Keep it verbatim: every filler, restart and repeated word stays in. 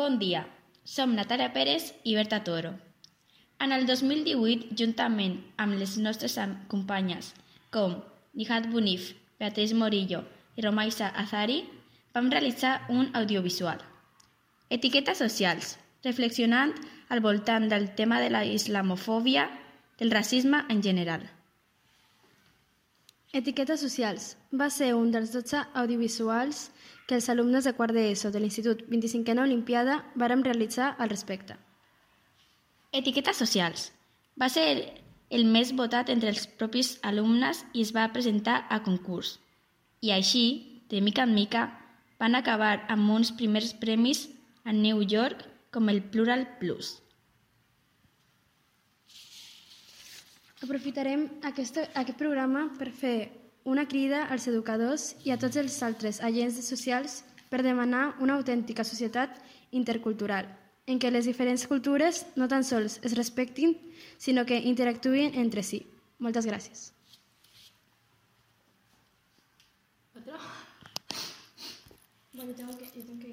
Bon dia, som Natàlia Pérez i Berta Toro. En el dos mil divuit, juntament amb les nostres companyes com Nihat Bunif, Beatriz Morillo i Romaisa Azari, vam realitzar un audiovisual. Etiquetes socials, reflexionant al voltant del tema de la islamofòbia, del racisme en general. Etiquetes socials va ser un dels dotze audiovisuals que els alumnes de quart d'ESO de l'Institut vint-i-cinquena Olimpiada vàrem realitzar al respecte. Etiquetes socials va ser el més votat entre els propis alumnes i es va presentar a concurs. I així, de mica en mica, van acabar amb uns primers premis a New York com el Plural Plus. Aprofitarem aquest, aquest programa per fer una crida als educadors i a tots els altres agents socials per demanar una autèntica societat intercultural, en què les diferents cultures no tan sols es respectin, sinó que interactuïn entre si. Moltes gràcies. Bueno, tengo que, yo tengo que